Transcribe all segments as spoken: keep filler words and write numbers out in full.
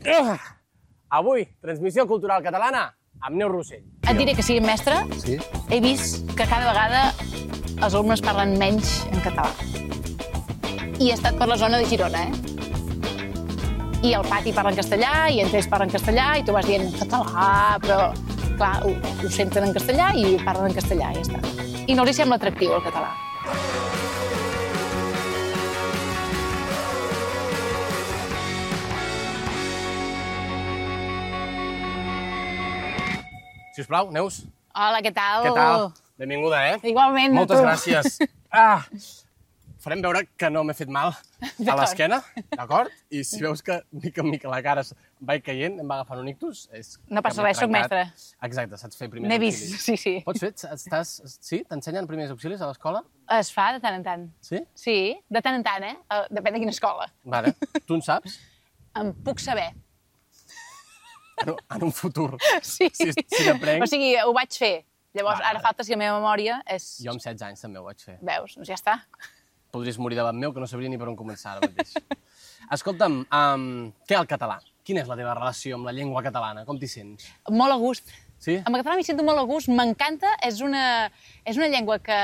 Uh, avui, transmissió cultural catalana amb Neus Rossell. Et diré que sigui mestre, sí? He vist que cada vegada els alumnes parlen menys en català. I he estat per la zona de Girona, eh? I al pati parlen castellà, i entre ells parlen castellà, i tu vas dient català, però, clar, ho, ho senten en castellà i parlen en castellà, i ja està. I no els sembla atractiu, el català. Sisplau, Neus. Hola, què tal? Què tal? Benvinguda, eh? Igualment, a Moltes tu. gràcies. Ah, farem veure que no m'he fet mal a l'esquena, d'acord? I si veus que mica en mica la cara va caient, em va agafant un ictus, és... No passa res, soc mestre. Exacte, saps fer primers N'he auxilis. vist, sí, sí. Pots fer? Estàs... Sí? T'ensenyen primers auxilis a l'escola? Es fa de tant en tant. Sí? Sí, de tant en tant, eh? Depèn de quina escola. Vale. Tu en saps? Em puc saber. En un, en un futur. Sí. Si, si n'aprenc... O sigui, ho vaig fer. Llavors, Vale. ara falta si la meva memòria és... Jo amb setze anys també ho vaig fer. Veus? Doncs ja està. Podries morir davant meu, que no sabria ni per on començar ara mateix. Escolta'm, um, què el català? Quina és la teva relació amb la llengua catalana? Com t'hi sents? Molt a gust. Sí? Amb el català m'hi sento molt a gust, m'encanta, és una, és una llengua que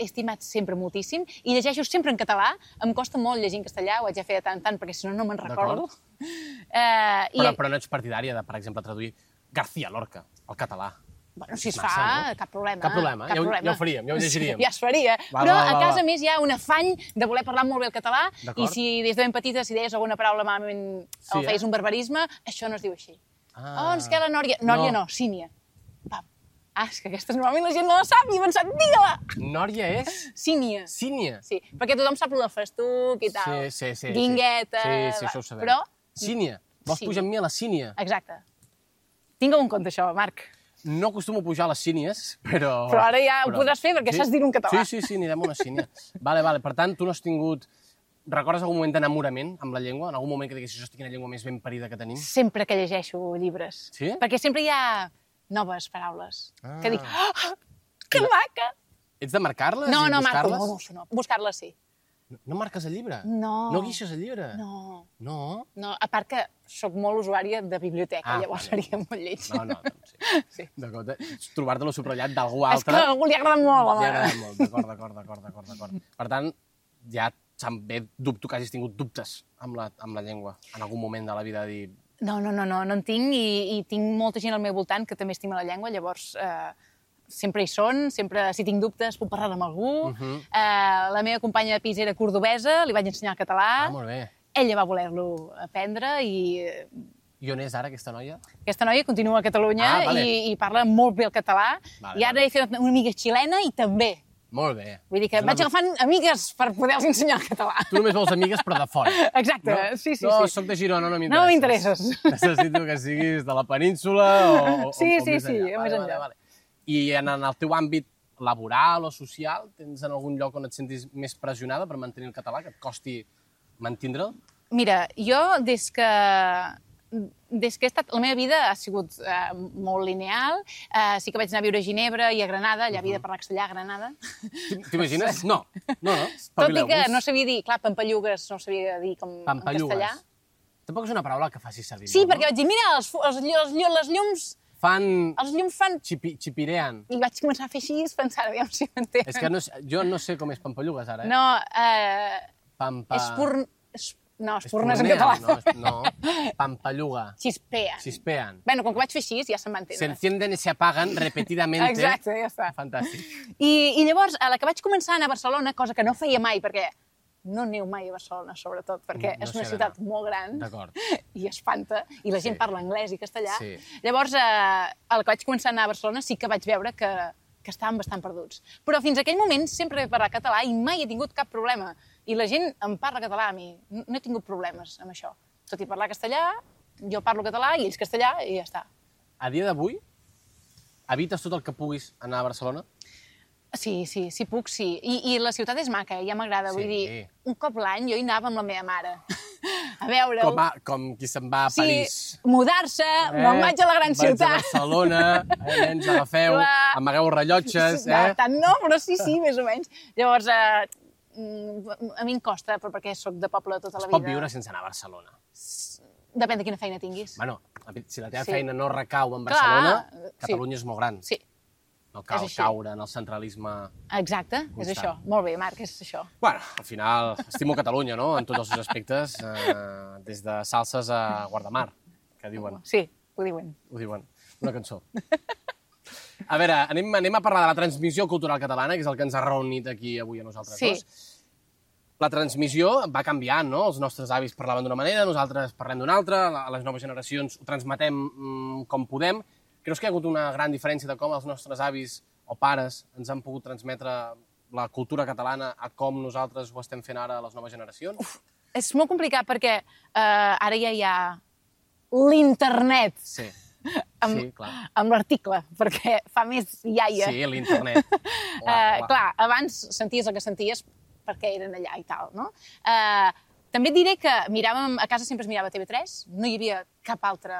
he estimat sempre moltíssim i llegeixo sempre en català. Em costa molt llegir en castellà, ho haig de fer de tant en tant, perquè si no, no me'n recordo. Eh, però, i... però no ets partidària de, per exemple, traduir García Lorca al català. Bueno, si es Massa, fa, no? cap problema. Cap problema, cap ja ho- problema. ja ho faríem, ja ho llegiríem. Ja es faria. Va, Però va, va, a casa, va. a més, hi ha un afany de voler parlar molt bé el català i D'acord. si des de ben petita si deies alguna paraula malament Sí, o feies eh? un barbarisme, això no es diu així. Ah. Oh, ens queda la Nòria. Nòria No. no, Sínia. Pam. Ah, és que aquesta normalment la gent no la sap i he pensat, digue-la! Nòria és Sínia. sínia. Sí, perquè tothom sap el del festuc i tal. Sí, sí, sí. Guingueta... Sí, sí, això ho sabem. Però... Sínia. Vols Sí. pujar amb mi a la sínia? Exacte. Tingue un compte, això, Marc. No acostumo a pujar a les sínies, però... Però ara ja ho podràs fer perquè saps dir-ho en català. Sí, sí, sí, anirem a una sínia. Vale, vale. Per tant, tu no has tingut... Recordes algun moment d'enamorament amb la llengua? En algun moment que diguessis, hosti, quina llengua més ben parida que tenim? Sempre que llegeixo llibres. Sí? Perquè sempre hi ha noves paraules. Ah. Que dic, oh, que maca! Ets de marcar-les No, i no, Marco, buscar-les? no, no, això no. Buscar-les sí. No marques el llibre? No. No guixes el llibre? No. No? No, a part que sóc molt usuària de biblioteca, Ah, llavors vale. seria molt lleig. No, no, doncs sí. Sí. D'acord, eh? Trobar-te-lo subratllat d'algú És que altre... a algú li agrada molt, Li home. agrada molt, d'acord, d'acord, d'acord, d'acord, d'acord. Per tant, ja se'm ve dubto que hagis tingut dubtes amb la, amb la llengua en algun moment de la vida de dir... No, no, no, no, no en tinc i, i tinc molta gent al meu voltant que també estima la llengua, llavors eh, sempre hi són, sempre, si tinc dubtes, puc parlar amb algú. Uh -huh. eh, la meva companya de pis era cordobesa, li vaig ensenyar el català. Ah, molt bé. Ella va voler-lo aprendre i I on és ara, aquesta noia? aquesta noia continua a Catalunya Ah, vale. i, i parla molt bé el català. Vale, I ara vale. he fet una amiga xilena i també. Molt bé. Vull dir que És una vaig agafant amigues per poder-los ensenyar el català. Tu només vols amigues, però de fora. Exacte, No? sí, sí. No, sí. soc de Girona, no No m'interesses. m'interesses. Necessito que siguis de la península o, o, Sí, o sí, més sí, enllà. més Vale, enllà. vale, vale. I en, en el teu àmbit laboral o social, tens en algun lloc on et sentis més pressionada per mantenir el català, que et costi mantindre'l? Mira, jo des que des que he estat... La meva vida ha sigut eh, molt lineal. Eh, sí que vaig anar a viure a Ginebra i a Granada, allà havia de parlar castellà a Granada. T'imagines? No, no, no. Tot i que no sabia dir... Clar, pampallugues no sabia dir com en Pampallugues. castellà. Tampoc és una paraula que faci servir Sí, molt, perquè vaig dir, mira, els, fu- els, els, les llums... Fan... Els llums fan... Xipi, xipirean. I vaig començar a fer així, pensant, aviam si m'entenen. És que no, sé- jo no sé com és pampallugues, ara, eh? No, eh... Pampa... Espurn... Es... No, espurna és en català. No, es- no, pampalluga. Xispean. Xispean. Bueno, com que vaig fer així, ja se'm va Se entendre. encienden y se apagan repetidamente. Exacte, ja està. Fantàstic. I, I llavors, a la que vaig començar a anar a Barcelona, cosa que no feia mai, perquè no aneu mai a Barcelona, sobretot, perquè No és s'hi una ha ciutat d'anar. molt gran D'acord. i espanta, i la gent Sí. parla anglès i castellà. Sí. Llavors, eh, a la que vaig començar a anar a Barcelona sí que vaig veure que, que estàvem bastant perduts. Però fins a aquell moment sempre he parlat català i mai he tingut cap problema. I la gent em parla català a mi. No no he tingut problemes amb això. Tot i parlar castellà, jo parlo català i ells castellà i ja està. A dia d'avui, evites tot el que puguis anar a Barcelona? Sí, sí, si puc, sí. I, i la ciutat és maca, ja m'agrada. Sí. Vull dir, un cop l'any jo hi anava amb la meva mare. A veure... Com, a, com qui se'n va a sí, París. mudar-se, eh? me'n vaig a la gran vaig ciutat. a Barcelona, eh, nens, agafeu, Clar. amagueu rellotges, No, eh? tant no, però sí, sí, més o menys. Llavors, eh, mm, a mi em costa, però perquè sóc de poble tota la Es vida. pot viure sense anar a Barcelona. Depèn de quina feina tinguis. Bueno, si la teva Sí. feina no recau en Barcelona, Clar, sí. Catalunya és molt gran. Sí, No cal és així. caure en el centralisme... exacte, és Constant. això. Molt bé, Marc, és això. Bueno, al final, estimo Catalunya, no?, en tots els seus aspectes, eh, des de salses a Guardamar, que diuen, Sí, ho diuen. ho diuen, una cançó. A veure, anem, anem a parlar de la transmissió cultural catalana, que és el que ens ha reunit aquí avui a nosaltres Sí. dos. La transmissió va canviant, no? Els nostres avis parlaven d'una manera, nosaltres parlem d'una altra, la- les noves generacions ho transmetem mm, com podem. Creus que hi ha hagut una gran diferència de com els nostres avis o pares ens han pogut transmetre la cultura catalana a com nosaltres ho estem fent ara a les noves generacions? Uf. És molt complicat perquè eh, ara ja hi ha l'internet Sí, amb, sí, clar. amb l'article, perquè fa més iaia. Sí, l'internet. Eh, clar, abans senties el que senties perquè eren allà i tal, no? Eh, també et diré que miràvem, a casa sempre es mirava T V tres, no hi havia cap altre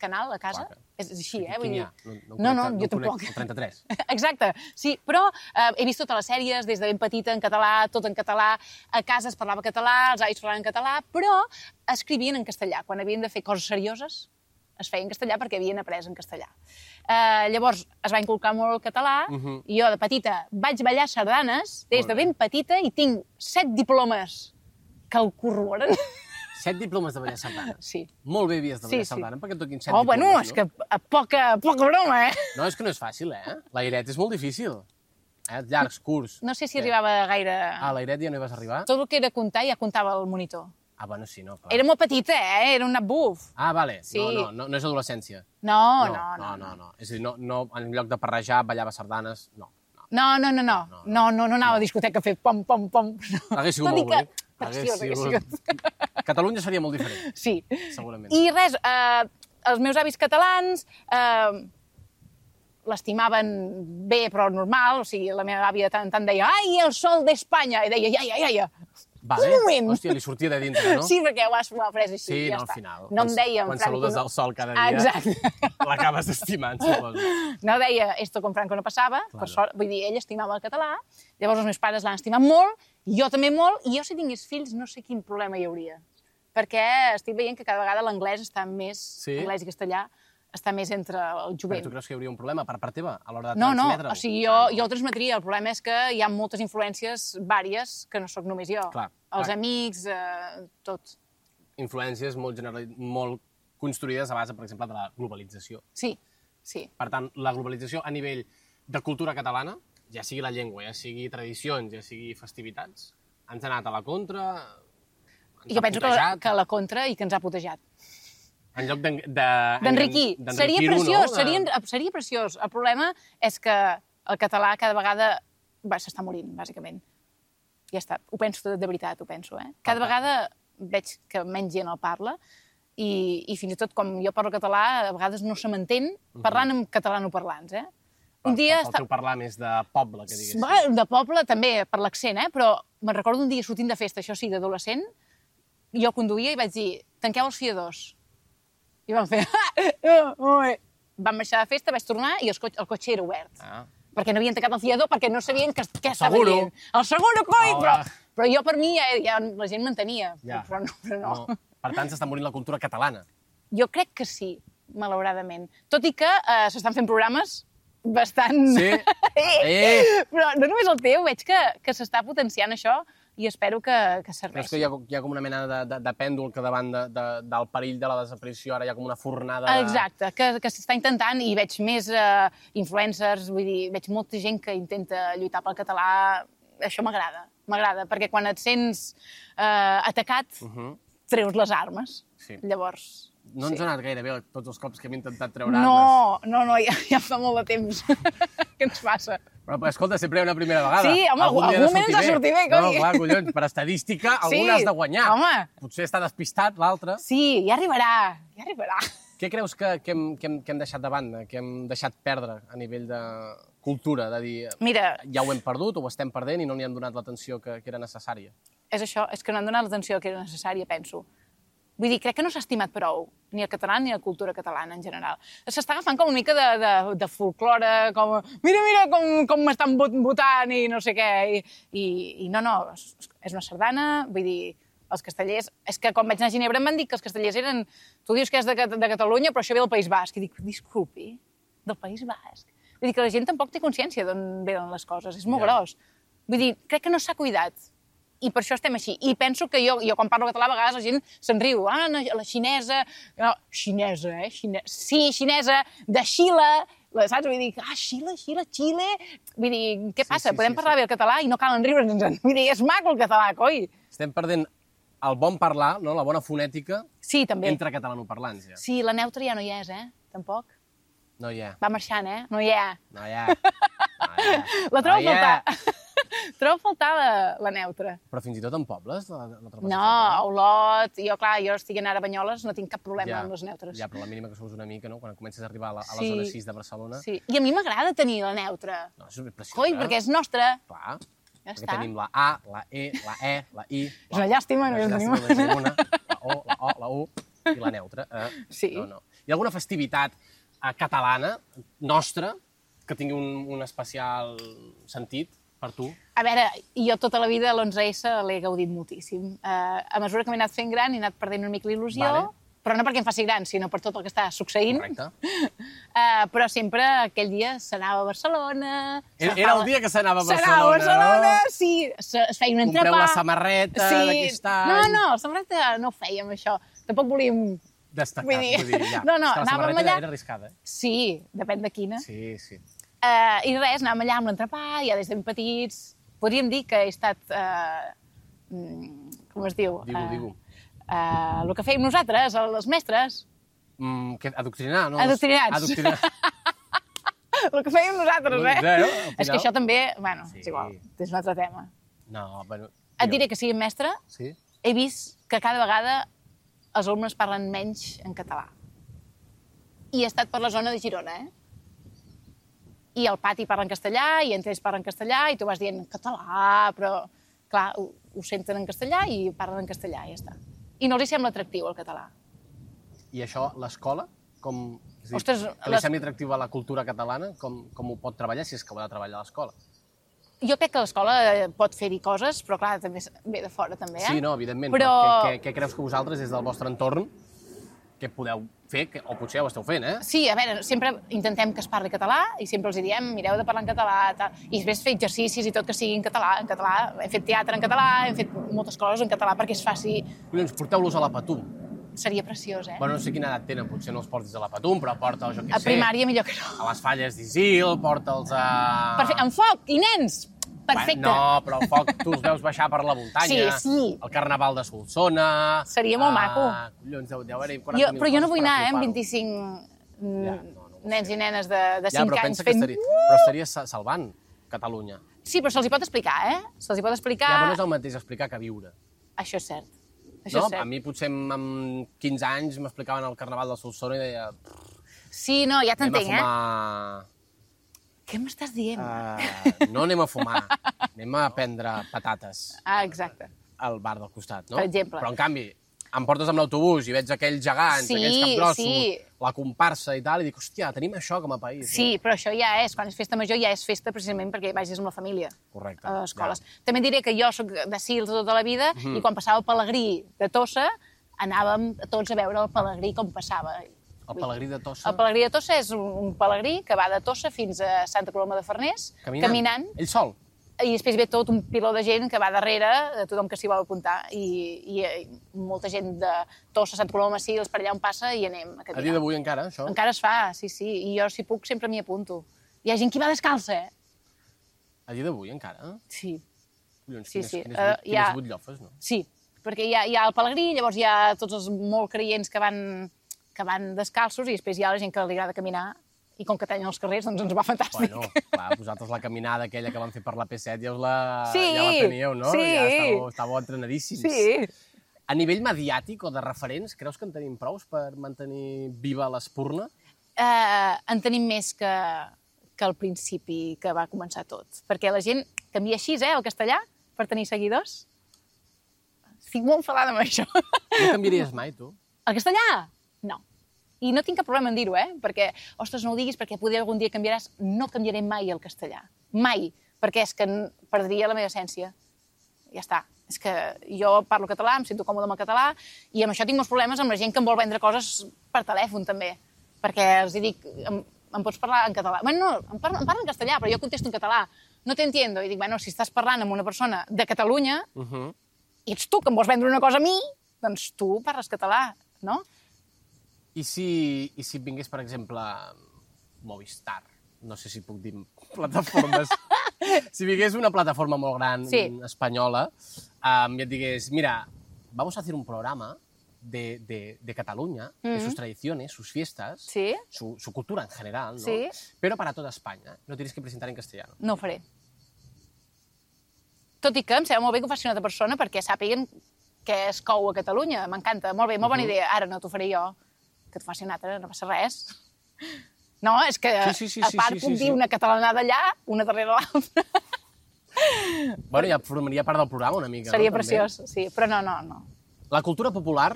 canal a casa. Clar que- És així, eh? Quin Vull hi dir... ha? No, no, no, no, conec- jo conec tampoc. el trenta-tres. Exacte, sí, però eh, he vist totes les sèries des de ben petita en català, tot en català, a casa es parlava català, els avis parlaven en català, però escrivien en castellà. Quan havien de fer coses serioses, es feia en castellà perquè havien après en castellà. Eh, llavors, es va inculcar molt el català, Mhm. i jo de petita vaig ballar sardanes des Molt de bé. ben petita i tinc set diplomes que el corroboren. Set diplomes de ballar sardana. Sí. Molt bé havies de Sí, ballar sí. sardana, perquè et toquin set Oh, diplomes, bueno, és no? que a poca, poca broma, eh? No, és que no és fàcil, eh? L'airet és molt difícil. Eh? Llargs, curts. No sé si Què? arribava gaire... Ah, l'airet ja no hi vas arribar? Tot el que era comptar ja comptava el monitor. Ah, bueno, sí, no, clar. Era molt petita, eh? Era un nap buf. Ah, vale. Sí. No, no, no, no és adolescència. No, no, no, no. no, no. És a dir, no, no, en lloc de parrejar, ballava sardanes, no. no. No, no, no, no. No, No, no, no anava a discoteca a fer pom, pom, pom. No. Hagués sigut Tot i molt que bonic. preciós hagués sigut- sigut. Catalunya seria molt diferent, Sí. segurament. I res, eh, els meus avis catalans eh, l'estimaven bé, però normal. O sigui, la meva àvia tant, tant deia «Ai, el sol d'Espanya!» I deia «Iaia, iaia!» Vale. Un moment. Hòstia, li sortia de dintre, no? Sí, perquè ho has, ho has pres així, Sí, ja no, al està. final. No em quan- deia en Quan Franco... saludes no- el sol cada dia, Exacte. l'acabes estimant, suposo. No deia esto con Franco no passava, Claro. per sort, vull dir, ell estimava el català, llavors els meus pares l'han estimat molt, jo també molt, i jo si tingués fills no sé quin problema hi hauria. Perquè estic veient que cada vegada l'anglès està més, Sí? anglès i castellà, està més entre el Però jovent. tu creus que hi hauria un problema per part teva a l'hora de No, no, transmetre-ho? o sigui, jo, jo el transmetria. El problema és que hi ha moltes influències vàries que no sóc només jo. Clar, Els clar. amics, eh, tot. Influències molt, general... molt construïdes a base, per exemple, de la globalització. Sí, sí. Per tant, la globalització a nivell de cultura catalana, ja sigui la llengua, ja sigui tradicions, ja sigui festivitats, ens ha anat a la contra, ens I jo ha penso que, putejat, que la contra i que ens ha putejat. en lloc d'en- de- D'enriquir. d'enriquir-ho, Seria preciós, no? seria, seria preciós. El problema és que el català cada vegada va, s'està morint, bàsicament. Ja està. Ho penso de, de veritat, ho penso. Eh? Cada Ah, vegada veig que menys gent el parla i, i fins i tot com jo parlo català, a vegades no se m'entén parlant amb catalanoparlants. Eh? Un dia... El teu parlar més de poble, que diguéssim. Va, de poble també, per l'accent, eh? Però me'n recordo un dia sortint de festa, això sí, d'adolescent, jo conduïa i vaig dir, tanqueu els fiadors. I van fer... Van marxar de festa, vaig tornar i el cotxe, el cotxe era obert. Ah. Perquè no havien tancat el fiador, perquè no sabien què, què estava seguro. dient. El seguro, coi! Oh, però, va. però jo per mi ja, ja la gent m'entenia. Ja. Però no, però no. No. Per tant, s'està morint la cultura catalana. Jo crec que sí, malauradament. Tot i que eh, s'estan fent programes bastant... Sí? eh! Eh! Però no només el teu, veig que, que s'està potenciant això i espero que, que Creus serveixi. que hi ha, hi ha com una mena de, de, de pèndol que davant de, de, del perill de la desaparició ara hi ha com una fornada de... Exacte, que, que s'està intentant i veig més eh, influencers, vull dir, veig molta gent que intenta lluitar pel català. Això m'agrada, m'agrada, perquè quan et sents eh, atacat, Uh -huh. treus les armes. Sí. Llavors... No ens sí. ha anat gaire bé tots els cops que hem intentat treure armes. No, no, no, ja, ja fa molt de temps. Què ens passa? Però, però, escolta, sempre hi ha una primera vegada. Sí, home, algun dia ha de moment ens ha sortir sortit bé, No, coi. clar, collons, per estadística, Sí, algun has de guanyar. home. Potser està despistat l'altre. Sí, ja arribarà, ja arribarà. Què creus que, que, hem, que, hem, que hem deixat de banda, que hem deixat perdre a nivell de cultura? De dir, Mira, ja ho hem perdut, o ho estem perdent i no li han donat l'atenció que, que era necessària. és això, és que no han donat l'atenció que era necessària, penso. Vull dir, crec que no s'ha estimat prou, ni el català ni la cultura catalana en general. S'està agafant com una mica de, de, de folklore, com, mira, mira com, com m'estan votant i no sé què. I, i, i no, no, és una sardana, vull dir, Els castellers... És que quan vaig anar a Ginebra em van dir que els castellers eren... Tu dius que és de, de Catalunya, però això ve del País Basc. I dic, disculpi, del País Basc? Vull dir que la gent tampoc té consciència d'on venen les coses. És molt gros. Vull dir, crec que no s'ha cuidat. I per això estem així. I penso que jo, jo quan parlo català, a vegades la gent se'n riu. Ah, la xinesa... No, xinesa, eh? Xine... Sí, xinesa, de Xile... Saps? Vull dir, ah, Xile, Xile, Xile... Vull dir, què passa? Sí, sí, Podem sí, parlar sí. bé el català i no calen riure'ns. Vull dir, és maco el català, coi. Estem perdent el bon parlar, no? La bona fonètica sí, també. Entre catalanoparlants. Ja. Sí, la neutra ja no hi és, eh? Tampoc. No hi ha. Va marxant, eh? No hi ha. No hi ha. No hi ha. La trobo no a faltar. Trobo a faltar la, la neutra. Però fins i tot en pobles la, la trobes? No, a Olot. Jo, clar, jo estic anant a Banyoles, no tinc cap problema ja, amb les neutres. Ja, però la mínima que sous una mica, no? Quan comences a arribar a la, a la sí, zona sis de Barcelona... Sí, i a mi m'agrada tenir la neutra. No, és preciosa. Coi, perquè és nostra. Clar. Ja perquè està. tenim la A, la E, la E, la I... És una llàstima, no és tenim una. La O, la O, la U i la neutra. Eh? Sí. No, no. Hi ha alguna festivitat eh, catalana, nostra, que tingui un, un especial sentit per tu? A veure, jo tota la vida l'onze esse l'he gaudit moltíssim. Uh, a mesura que m'he anat fent gran, he anat perdent una mica l'il·lusió, vale. Però no perquè em faci gran, sinó per tot el que està succeint. Correcte. Uh, però sempre aquell dia s'anava a Barcelona... Era, era el dia que s'anava a Barcelona, s'anava a Barcelona, no? sí. Es feia un entrepà. Compreu la samarreta sí. d'aquest any... No, no, la samarreta no ho fèiem, això. Tampoc volíem... Destacat, vull dir, vull dir ja. No, no, la anàvem samarreta allà... era arriscada, eh? Sí, depèn de quina. Sí, sí. Uh, I res, anàvem allà amb l'entrepà, ja des de ben petits... Podríem dir que he estat... Uh, com es diu? Digue-ho, uh, digue-ho. Uh, el que fèiem nosaltres, els mestres... Mm, que, adoctrinar, no? Adoctrinats. Adoctrinar. El que fèiem nosaltres, eh? Zero, és que això també... Bueno, sí. és igual, és un altre tema. No, bueno... Et diré que siguin mestre, sí? He vist que cada vegada els alumnes parlen menys en català. I he estat per la zona de Girona, eh? I al pati parlen castellà, i entre ells parlen castellà, i tu vas dient català, però, clar, ho, ho senten en castellà i parlen en castellà, i ja està. I no els hi sembla atractiu, el català. I això, l'escola, com... És dir, Ostres, que li les... sembli atractiu a la cultura catalana, com, com ho pot treballar, si és que ho ha de treballar a l'escola? Jo crec que l'escola pot fer-hi coses, però, clar, també ve de fora, també, eh? Sí, no, evidentment, però... però què, què, què creus que vosaltres, des del vostre entorn, què podeu fer, que, o potser ja ho esteu fent, eh? Sí, a veure, sempre intentem que es parli català i sempre els diem, mireu de parlar en català, tal. I després fer exercicis i tot que sigui en català, en català. Hem fet teatre en català, hem fet moltes coses en català perquè és fàcil. Collons, porteu-los a la Patum. Seria preciós, eh? Bueno, no sé quina edat tenen, potser no els portis a la Patum, però porta'ls, jo què sé... A primària millor que no. A les falles d'Isil, porta'ls a... Perfecte, amb foc i nens! Perfecte. Bueno, no, però el foc tu els veus baixar per la muntanya. Sí, sí. El carnaval de Solsona... Seria molt uh, maco. Collons, deu, deu haver-hi quaranta mil jo, però jo no vull anar, eh, amb vint-i-cinc ja, no, no nens i nenes de, de ja, cinc anys fent... Estaria, però estaria salvant Catalunya. Sí, però se'ls hi pot explicar, eh? Se'ls hi pot explicar... Ja, però no és el mateix explicar que viure. Això és cert. Això no? és cert. A mi potser amb quinze anys m'explicaven el carnaval de Solsona i deia... Sí, no, ja t'entenc, eh? Anem a fumar... Què m'estàs dient? Uh, no anem a fumar, anem a prendre patates. Ah, exacte. Al bar del costat, no? Per exemple. Però, en canvi, em portes amb l'autobús i veig aquells gegants, sí, aquells capgrossos, sí. La comparsa i tal, i dic, hòstia, tenim això com a país. Sí, no? Però això ja és, quan és festa major, ja és festa precisament perquè vagis amb la família. Correcte. A les escoles. Ja. També diré que jo sóc de Sils tota la vida, mm-hmm. i quan passava el Pelegrí de Tossa, anàvem tots a veure el Pelegrí com passava. El Pelegrí de Tossa? El Pelegrí de Tossa és un, un pelegrí que va de Tossa fins a Santa Coloma de Farners, caminant. caminant. Ell sol? I després ve tot un piló de gent que va darrere, de tothom que s'hi vol apuntar, i, i, i molta gent de Tossa, Santa Coloma, sí, els per allà on passa i anem a caminar. A dia d'avui encara, això? Encara es fa, sí, sí, i jo si puc sempre m'hi apunto. Hi ha gent que va descalça, eh? A dia d'avui encara? Sí. Collons, sí, quines, sí. quines, uh, quines ha... butllofes, no? Sí, perquè hi ha, hi ha el pelegrí, llavors hi ha tots els molt creients que van, que van descalços i després hi ha la gent que li agrada caminar i com que tallen els carrers, doncs ens va fantàstic. Bueno, clar, vosaltres la caminada aquella que van fer per la P set ja us la, sí, ja la teníeu, no? Sí. Ja estàveu, estàveu entrenadíssims. Sí. A nivell mediàtic o de referents, creus que en tenim prous per mantenir viva l'espurna? Uh, en tenim més que, que al principi que va començar tot. Perquè la gent canvia així, eh, el castellà, per tenir seguidors. Estic molt enfadada amb això. No canviaries mai, tu? El castellà? No. I no tinc cap problema en dir-ho, eh? Perquè, ostres, no ho diguis perquè potser algun dia canviaràs. No canviaré mai el castellà. Mai. Perquè és que perdria la meva essència. Ja està. És que jo parlo català, em sento còmode amb el català, i amb això tinc molts problemes amb la gent que em vol vendre coses per telèfon, també. Perquè els dic, em, em pots parlar en català? Bueno, no, em parlen, em parlen en castellà, però jo contesto en català. No t'entiendo. I dic, bueno, si estàs parlant amb una persona de Catalunya, uh -huh. i ets tu que em vols vendre una cosa a mi, doncs tu parles català, no? I si, i si vingués, per exemple, Movistar, no sé si puc dir plataformes, si vingués una plataforma molt gran, sí. espanyola, um, i et digués, mira, vamos a hacer un programa de, de, de Cataluña, mm-hmm. de sus tradiciones, sus fiestas, sí. su, su cultura en general, ¿no? Sí. Pero para toda España. Lo tienes que presentar en castellano. No ho faré. Tot i que em sembla molt bé que ho faci una altra persona perquè sàpiguen què es cou a Catalunya. M'encanta, molt bé, molt bona idea. Ara no t'ho faré jo, que t'ho faci un altre, no passa res. No, és que sí, sí, sí, a part sí, sí, puc sí, dir sí. una catalanada allà, una darrere l'altra. Bueno, ja formaria part del programa una mica. Seria no? preciós, També. sí, però no, no, no. La cultura popular,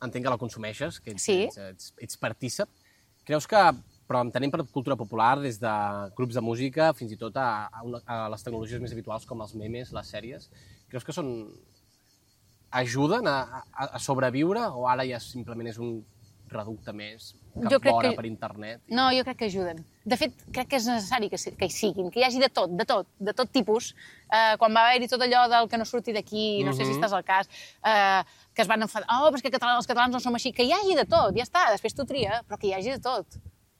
entenc que la consumeixes, que ets, sí. ets, ets, ets partícip. Creus que, però entenem per cultura popular des de grups de música fins i tot a, a, una, a les tecnologies més habituals com els memes, les sèries, creus que són ajuden a, a, a sobreviure o ara ja simplement és un reducte més que jo fora que... per internet? I... No, jo crec que ajuden. De fet, crec que és necessari que, que hi siguin, que hi hagi de tot, de tot, de tot tipus. Eh, quan va haver-hi tot allò del que no surti d'aquí, no uh -huh. sé si estàs al cas, eh, que es van enfadar, oh, però és que catalans, els catalans no som així, que hi hagi de tot, ja està, després tu tria, però que hi hagi de tot.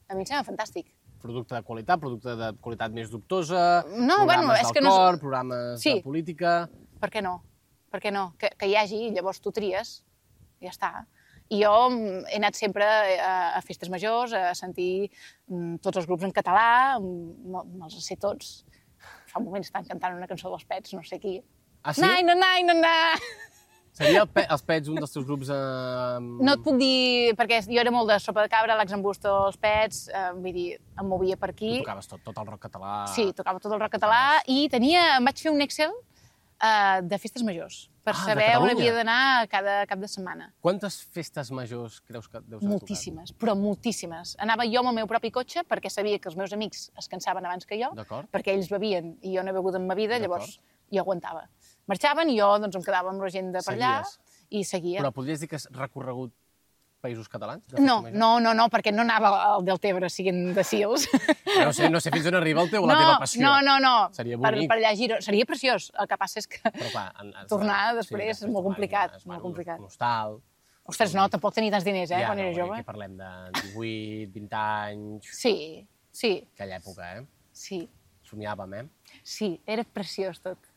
A mi em sembla fantàstic. Producte de qualitat, producte de qualitat més dubtosa, no, programes bueno, és del que cor, no... programes sí. de política... Per què no? Per què no? Que, que hi hagi, llavors tu tries, ja està. I jo he anat sempre a, a festes majors, a sentir um, tots els grups en català, me'ls sé tots. Fa un moment estan cantant una cançó dels Pets, no sé qui. Ah, sí? Nai, no, nai, no, na. Seria el pe els Pets un dels teus grups... Eh... No et puc dir, perquè jo era molt de Sopa de Cabra, l'Axambusto, els Pets, eh, vull dir, em movia per aquí. Tu tocaves tot, tot el rock català... Sí, tocava tot el rock català i tenia, em vaig fer un Excel uh, de festes majors, per ah, saber on havia d'anar cada cap de setmana. Quantes festes majors creus que deus haver Moltíssimes, tocat? Però moltíssimes. Anava jo amb el meu propi cotxe perquè sabia que els meus amics es cansaven abans que jo, perquè ells bevien i jo no he begut en ma vida, llavors jo aguantava. Marxaven i jo doncs, em quedava amb la gent de per allà i seguia. Però podries dir que has recorregut països catalans? No, no, no, no, perquè no anava al Deltebre siguent de Sils. No sé, no sé fins on arriba el teu, no, la teva passió. No, no, no. Seria bonic. Per, per allà Girona. Seria preciós. El que passa és que Però, clar, en, en, tornar després sí, és molt complicat. És molt complicat. Un hostal... Ostres, no, tampoc tenia tants diners, eh, ja, quan no, era jove. Aquí parlem de divuit, vint anys... Sí, sí. Aquella època, eh? Sí. Somiàvem, eh? Sí, era preciós tot.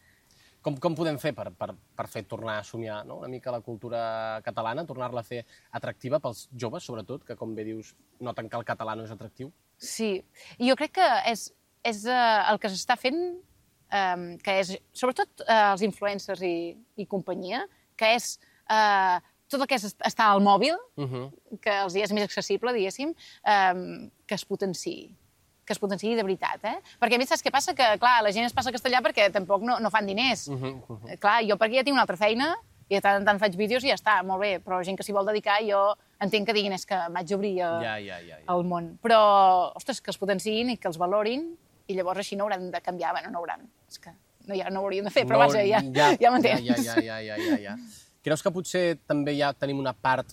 Com, com podem fer per, per, per fer tornar a somiar no? una mica la cultura catalana, tornar-la a fer atractiva pels joves, sobretot, que, com bé dius, noten que el català no és atractiu? Sí, i jo crec que és, és uh, el que s'està fent, um, que és, sobretot uh, els influencers i, i companyia, que és uh, tot el que és estar al mòbil, uh -huh. que els és més accessible, diguéssim, um, que es potenciï. que es potenciï de veritat, eh? Perquè a mi saps què passa? Que, clar, la gent es passa castellà perquè tampoc no, no fan diners. Uh -huh, uh -huh. Clar, jo perquè ja tinc una altra feina i de tant en tant faig vídeos i ja està, molt bé, però la gent que s'hi vol dedicar, jo entenc que diguin és que m'haig d'obrir el, ja, ja, ja, ja. el món. Però, ostres, que els potenciïn i que els valorin i llavors així no hauran de canviar. Bueno, no hauran, és que no, ja no ho haurien de fer, però no, vaja, ja, ja, ja m'entens. Ja, ja, ja, ja, ja, ja. Creus que potser també ja tenim una part,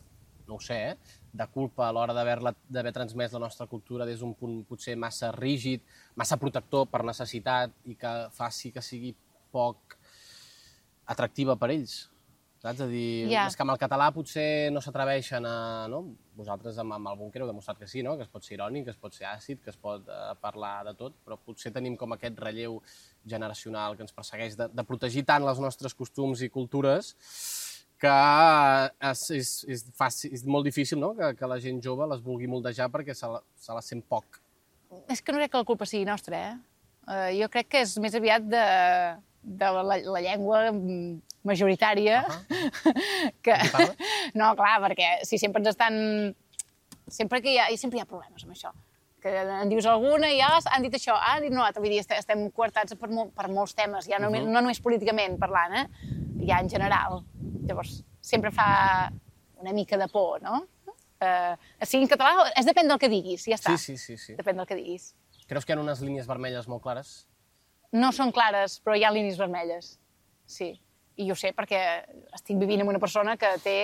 no ho sé, eh? de culpa a l'hora d'haver transmès la nostra cultura des d'un punt potser massa rígid, massa protector per necessitat i que faci que sigui poc atractiva per ells? Saps? A dir, yeah. És que amb el català potser no s'atreveixen a... No? Vosaltres amb, amb el búnquer heu demostrat que sí, no? Que es pot ser irònic, que es pot ser àcid, que es pot uh, parlar de tot, però potser tenim com aquest relleu generacional que ens persegueix de, de protegir tant els nostres costums i cultures que és, és, és, fàcil, és molt difícil, no?, que, que la gent jove les vulgui moldejar perquè se la, se la sent poc. És que no crec que la culpa sigui nostra, eh? Uh, jo crec que és més aviat de, de la, la llengua majoritària. Uh -huh. que... No, clar, perquè si sempre ens estan... Sempre que hi ha, sempre hi ha problemes amb això. Que en dius alguna i ah, han dit això, ah, han dit no altre. Vull dir, estem coartats per, mol, per molts temes, ja no, uh -huh. no només políticament parlant, eh? Ja en general. Llavors, sempre fa una mica de por, no? Uh, sigui en català, és depèn del que diguis, ja està. Sí, sí, sí, sí. Depèn del que diguis. Creus que hi ha unes línies vermelles molt clares? No són clares, però hi ha línies vermelles, sí. I jo sé perquè estic vivint amb una persona que té...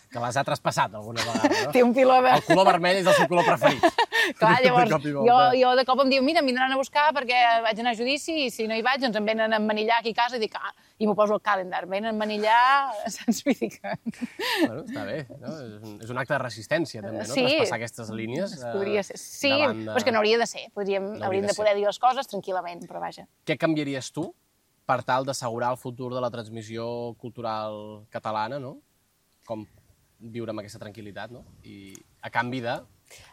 Que les ha traspassat alguna vegada, no? té un piló de... El color vermell és el seu color preferit. Clar, llavors, jo, jo de cop em diu, mira, em vindran a buscar perquè vaig anar a judici i si no hi vaig, doncs em venen a emmanillar aquí a casa i dic, ah, i m'ho poso al calendar, em venen a emmanillar, saps? Vull dir que... Bueno, està bé, no? És un, és un acte de resistència, també, no? Sí. Traspassar aquestes línies eh, Podria ser. Sí, davant de... però és que no hauria de ser. Podríem, No hauríem hauria de de poder dir les coses tranquil·lament, però vaja. Què canviaries tu per tal d'assegurar el futur de la transmissió cultural catalana, no? Com viure amb aquesta tranquil·litat, no? I a canvi de,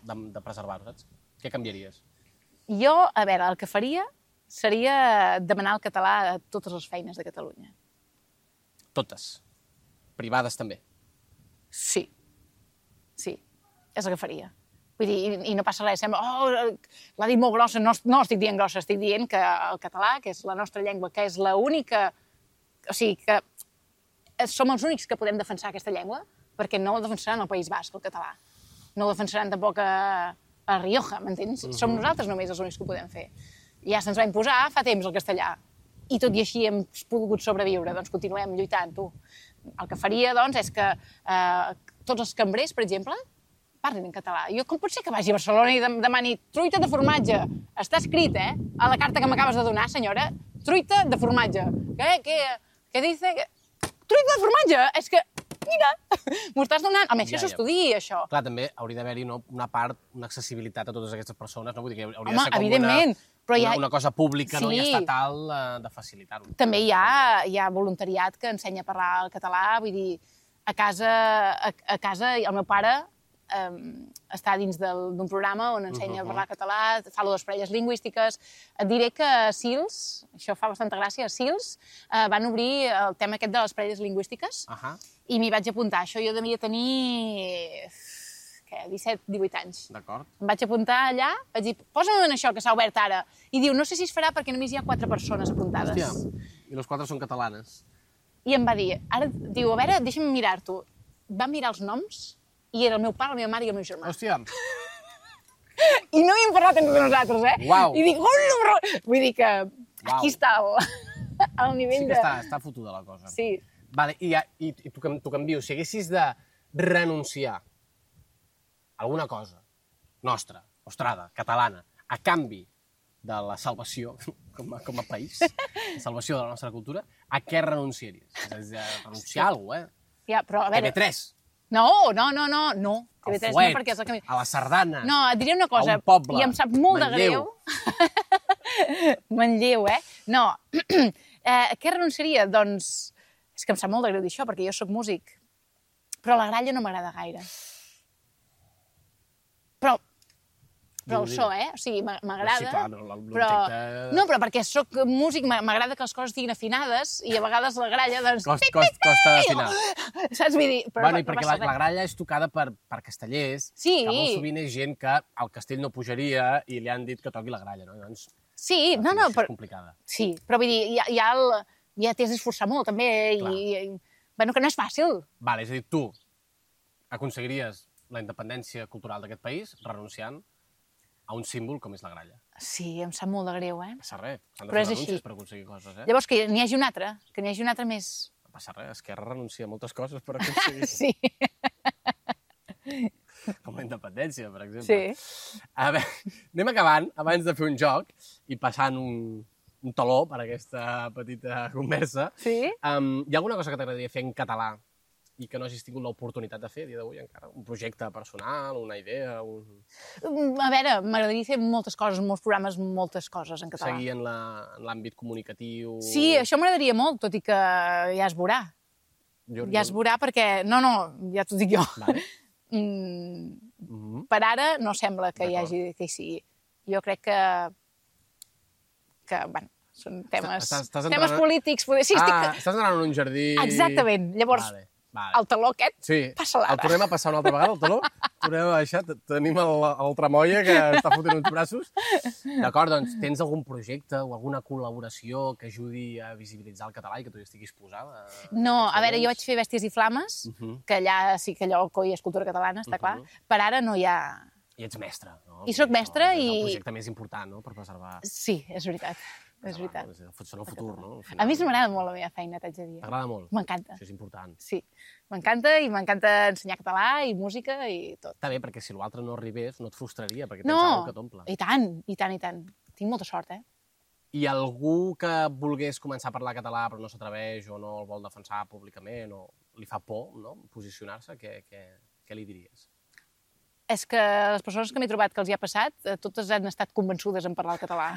de, de preservar-ho, saps? Què canviaries? Jo, a veure, el que faria seria demanar el català a totes les feines de Catalunya. Totes. Privades també. Sí. Sí, és el que faria. Vull dir, i, i no passa res, sembla, oh, l'ha dit molt grossa, no, no estic dient grossa, estic dient que el català, que és la nostra llengua, que és l'única... O sigui, que som els únics que podem defensar aquesta llengua, perquè no el defensaran al País Basc, el català. No el defensaran tampoc a, a Rioja, m'entens? Uh-huh. Som nosaltres només els únics que ho podem fer. Ja se'ns va imposar fa temps el castellà, i tot i així hem pogut sobreviure, doncs continuem lluitant, tu. El que faria, doncs, és que eh, tots els cambrers, per exemple, parlin en català. Jo, com pot ser que vagi a Barcelona i demani truita de formatge? Està escrit, eh? A la carta que m'acabes de donar, senyora. Truita de formatge. Què? Què? Què dice? Truita de formatge? És que, mira, m'ho estàs donant. Almenys que Ja, ja. s'estudi, això. Clar, també hauria d'haver-hi no, una part, una accessibilitat a totes aquestes persones, no? Vull dir que hauria Home, de ser com evidentment, una, però hi ha- una, una cosa pública, no? Sí. I estatal eh, de facilitar-ho. També hi ha, hi ha voluntariat que ensenya a parlar el català, vull dir, a casa, a, a casa el meu pare um, està dins del- d'un programa on ensenya Uh-huh. a parlar català, fa les parelles lingüístiques. Et diré que a Sils, això fa bastanta gràcia, a Sils uh, van obrir el tema aquest de les parelles lingüístiques Ahà, i m'hi vaig apuntar. Això jo devia tenir què, disset, divuit anys. d'acord. Em vaig apuntar allà, vaig dir, posa'm en això que s'ha obert ara. I diu, no sé si es farà perquè només hi ha quatre persones apuntades. Hòstia, i les quatre són catalanes. I em va dir, ara, diu, a veure, deixa'm mirar-t'ho. Va mirar els noms i era el meu pare, la meva mare i el meu germà. Hòstia, I no hi hem parlat entre nosaltres, eh? Uau. I dic, hola, però... Vull dir que Uau. aquí està el, el nivell sí que de... està, està fotuda la cosa. Sí. Vale, i, ja- i, i tu, que- tu canvio, si haguessis de renunciar a alguna cosa nostra, nostrada, catalana, a canvi de la salvació com a, com a país, la salvació de la nostra cultura, a què renunciaries? És a dir, renunciar a alguna cosa, eh? Ja, però a T V veure... tres, No, no, no, no, no. T V al tres fuet, no, perquè és el camí. a la sardana, No, et diré una cosa, a un poble, i em sap molt Manlleu. de greu. Manlleu, eh? No, eh, què renunciaria? Doncs, és que em sap molt de greu dir això, perquè jo sóc músic, però la gralla no m'agrada gaire. Però, però Digue-ho, el so, eh? O sigui, m'a- m'agrada, Sí, clar, no, l'objecte- però... No, però perquè sóc músic, m'a- m'agrada que les coses estiguin afinades, i a vegades la gralla, doncs... Cost, cost, costa d'afinar. Saps? Vull dir, però Bueno, i no perquè passa la, la res. gralla és tocada per, per castellers, Sí. que molt sovint és gent que al castell no pujaria i li han dit que toqui la gralla, no? Llavors, Sí, la no, no, afinació però... és complicada. Sí, però vull dir, ja, ja, el, ja t'has d'esforçar molt, també, Clar. i, i... Bueno, que no és fàcil. Vale, és a dir, tu aconseguiries la independència cultural d'aquest país renunciant a un símbol com és la gralla. Sí, em sap molt de greu, eh? No passa res, s'han de Però fer és renúncies així. per aconseguir coses, eh? Llavors, que n'hi hagi un altre, que n'hi hagi un altre més... No passa res, Esquerra renuncia a moltes coses per aconseguir, Sí, com la independència, per exemple. sí. A veure, anem acabant, abans de fer un joc i passant un, un taló per aquesta petita conversa. Sí? Um, hi ha alguna cosa que t'agradaria fer en català i que no hagis tingut l'oportunitat de fer a dia d'avui encara? Un projecte personal, una idea, un... Mm, A veure, m'agradaria fer moltes coses, molts programes, moltes coses en català. seguir en la- en l'àmbit comunicatiu... Sí, això m'agradaria molt, tot i que ja es veurà. Jo, Ja es veurà perquè... No, no, ja t'ho dic jo. Vale. Mm, Mhm. per ara no sembla que hi D'acord. hagi que hi sigui. Jo crec que, que bueno, són temes, Estàs- estàs temes entrant- polítics. Poder... Sí, estic... Ah, estàs anant en un jardí... Exactament. Llavors, Vale, vale. el taló aquest, Sí, passa-la el ara. tornem a passar una altra vegada, el taló. Tornem a baixar, T- tenim el, el tramoia que està fotent uns braços. D'acord, doncs tens algun projecte o alguna col·laboració que ajudi a visibilitzar el català i que tu hi estiguis posada? No, a veure, jo vaig fer Bèsties i Flames, Mhm. que allà sí que allò coi és cultura catalana, està clar. Mhm. Per ara no hi ha... I ets mestre, no? I soc Vull dir, mestra això És i- el projecte més important, no?, per preservar... Sí, és veritat. és veritat. Són el futur, no? A mi m'agrada molt la meva feina, t'haig de dir. T'agrada molt? M'encanta. Això és important. Sí, m'encanta i m'encanta ensenyar català i música i tot. Està bé, perquè si l'altre no arribés no et frustraria, perquè tens No, alguna que t'omple. i tant, i tant, i tant. Tinc molta sort, eh? I algú que volgués començar a parlar català però no s'atreveix o no el vol defensar públicament o li fa por, no?, posicionar-se, què, què, què li diries? És que les persones que m'he trobat que els hi ha passat, eh, totes han estat convençudes en parlar el català.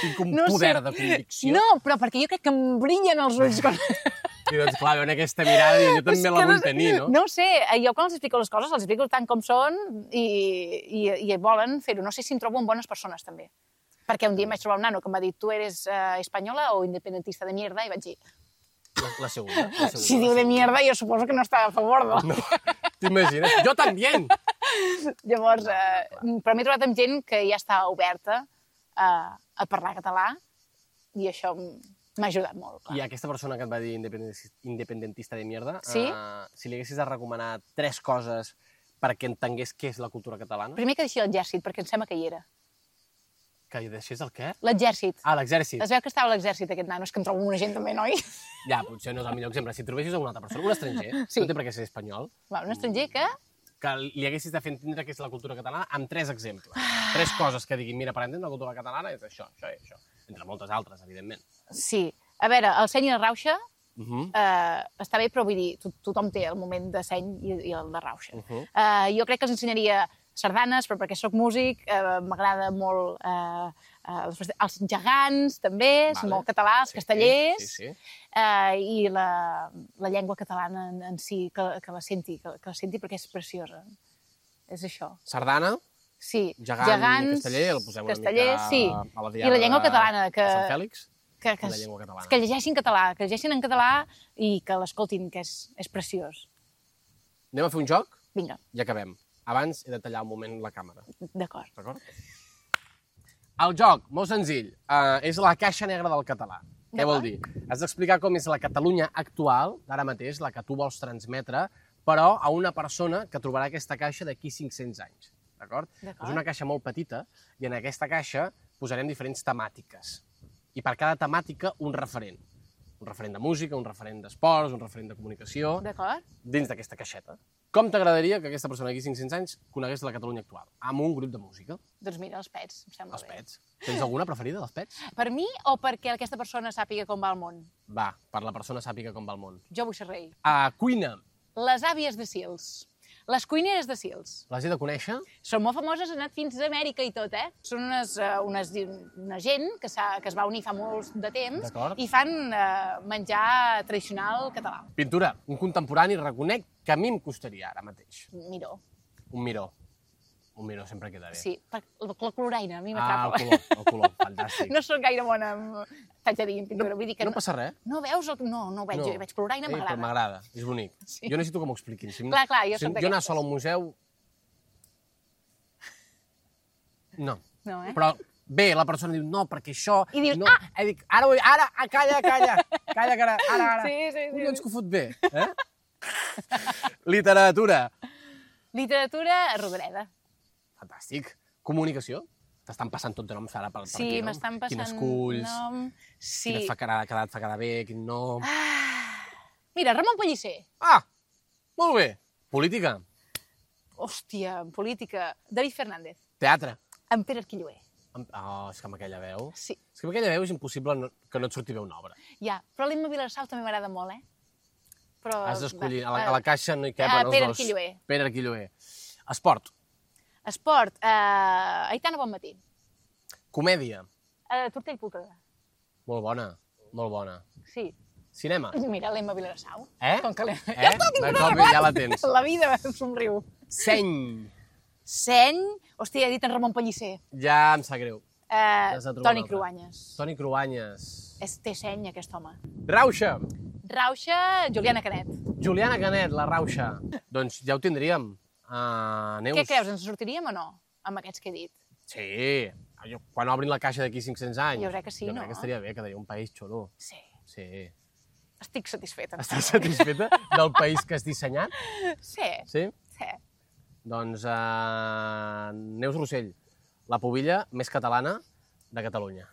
Tinc un No poder sé. de convicció. No, però perquè jo crec que em brillen els ulls. Quan... I doncs, clar, veuen aquesta mirada i jo també la vull tenir, no? No ho sé, jo quan els explico les coses, els explico tant com són i, i, i volen fer-ho. No sé si em trobo amb bones persones, també. Perquè un dia em vaig trobar un nano que em va dir tu eres uh, espanyola o independentista de mierda? I vaig dir... La, la segunda. La segunda si diu de mierda, jo suposo que no està a favor de... No, t'imagines? Jo també! Llavors, eh, però m'he trobat amb gent que ja està oberta a, a parlar català i això m'ha ajudat molt. Clar. I aquesta persona que et va dir independentista, independentista de mierda, Sí? uh, si li haguessis de recomanar tres coses perquè entengués què és la cultura catalana, Primer que deixi l'exèrcit, perquè em sembla que hi era. que hi deixés el què? L'exèrcit. Ah, l'exèrcit. Es veu que estava a l'exèrcit, aquest nano. És que em trobo amb una gent també, noi? Ja, potser no és el millor exemple. Si trobessis una altra persona, un estranger, Sí. no té per què ser espanyol, Va, un estranger que... que li haguessis de fer entendre què és la cultura catalana amb tres exemples. Tres coses que diguin, mira, per entendre la cultura catalana és això, això i això. Entre moltes altres, evidentment. Sí. A veure, el seny i la rauxa Uh -huh. eh, està bé, però vull dir, to tothom té el moment de seny i, i el de rauxa. Uh -huh. eh, jo crec que els ensenyaria sardanes, però perquè sóc músic, eh, m'agrada molt eh, eh, els, els gegants, també, és Vale. molt català, els Sí, castellers, sí, sí. Eh, i la, la llengua catalana en, en si, que, que la senti, que, que la senti perquè és preciosa. És això. Sardana, Sí, gegant gegants, i casteller, el posem una castellers, mica sí. a la I diada la llengua catalana, que, de Sant Fèlix. que, que, la llengua catalana. que llegeixin català, que llegeixin en català i que l'escoltin, que és, és preciós. Anem a fer un joc Vinga, i acabem. Abans he de tallar un moment la càmera. d'acord. D'acord? El joc, molt senzill, uh, és la caixa negra del català. Què vol dir? Has d'explicar com és la Catalunya actual, d'ara mateix, la que tu vols transmetre, però a una persona que trobarà aquesta caixa d'aquí cinc-cents anys. D'acord? És una caixa molt petita i en aquesta caixa posarem diferents temàtiques. I per cada temàtica un referent. Un referent de música, un referent d'esports, un referent de comunicació, D'acord? dins d'aquesta caixeta. Com t'agradaria que aquesta persona d'aquí cinc-cents anys conegués la Catalunya actual? Amb un grup de música. Doncs mira, els pets, em sembla Els bé. pets. Tens alguna preferida dels pets? Per mi o perquè aquesta persona sàpiga com va el món? Va, per la persona sàpiga com va el món. Jo vull ser rei. A cuina. Les àvies de Sils. Les cuineres de Sils. Les he de conèixer? Són molt famoses, han anat fins a Amèrica i tot, eh? Són unes, uh, unes, una gent que, que es va unir fa molt de temps i fan uh, menjar tradicional català. Pintura. Un contemporani reconec que a mi em costaria ara mateix. Miró. Un miró. Un miró sempre queda bé. Sí, la, la coloraina, a mi Ah, m'atrapa. el color, el color, fantàstic. No soc gaire bona amb... T'haig de dir, en pintura. No, Vull dir que no passa res. No veus? El... No, no ho veig. No. Jo veig coloraina, Eh, m'agrada. Però m'agrada, és bonic. Sí. Jo necessito que m'ho expliquin. Si Clar, clar, jo si soc jo anar d'aquestes. sol a un museu... No. No, eh? Però bé, la persona diu, no, perquè això... I dius, no. ah! Eh, dic, ara, ho- ara, ah, calla, calla, calla, que ara, ara, ara. Sí, sí, sí. Collons que ho fot bé, eh? Literatura. Literatura, Rodoreda. Fantàstic. Comunicació. T'estan passant tot de noms ara per, per Sí, aquí, no? m'estan passant Quin esculls, nom... Sí. quin et fa quedar, quedar, et fa quedar bé, quin nom... Ah. Mira, Ramon Pellicer. Ah! Molt bé. Política. Hòstia, en política. David Fernández. Teatre. En Pere Arquilloé. Amb- Oh, és que amb aquella veu... Sí. És que amb aquella veu és impossible no, que no et surti bé una obra. Ja, però l'Emma Vilarsau també m'agrada molt, eh? Però... Has d'escollir. A, la- va, a la caixa no hi eh, capen els Pere dos. Arquilloé. Pere Arquilloé. Esport. Esport, eh, Aitana Bonmatí. Comèdia. Eh, Tortell Pulcre. Molt bona. Molt bona. Sí. Cinema. Mira, l'Emma Vilarsau. Eh? Com que l'Emma... Eh? Ja està, tinc De una cop arreglat. ja la tens. La vida em somriu. Seny. Seny... Hòstia, he dit en Ramon Pellicer. Ja em sap greu. Eh, Has de trobar Toni un altre. Cruanyes. Toni Cruanyes. És, té seny, aquest home. Rauxa. Rauxa, Juliana Canet. Juliana Canet, la Rauxa. Doncs ja ho tindríem. Uh, Neus. Què creus, ens sortiríem o no, amb aquests que he dit? Sí. Jo, quan obrin la caixa d'aquí cinc-cents anys. Jo crec que sí, jo no? crec que estaria bé, quedaria un país xulo. Sí. Sí. Estic satisfeta. Estàs satisfeta del país que has dissenyat? Sí, Sí? sí. Doncs uh, Neus Rossell, la pubilla més catalana de Catalunya.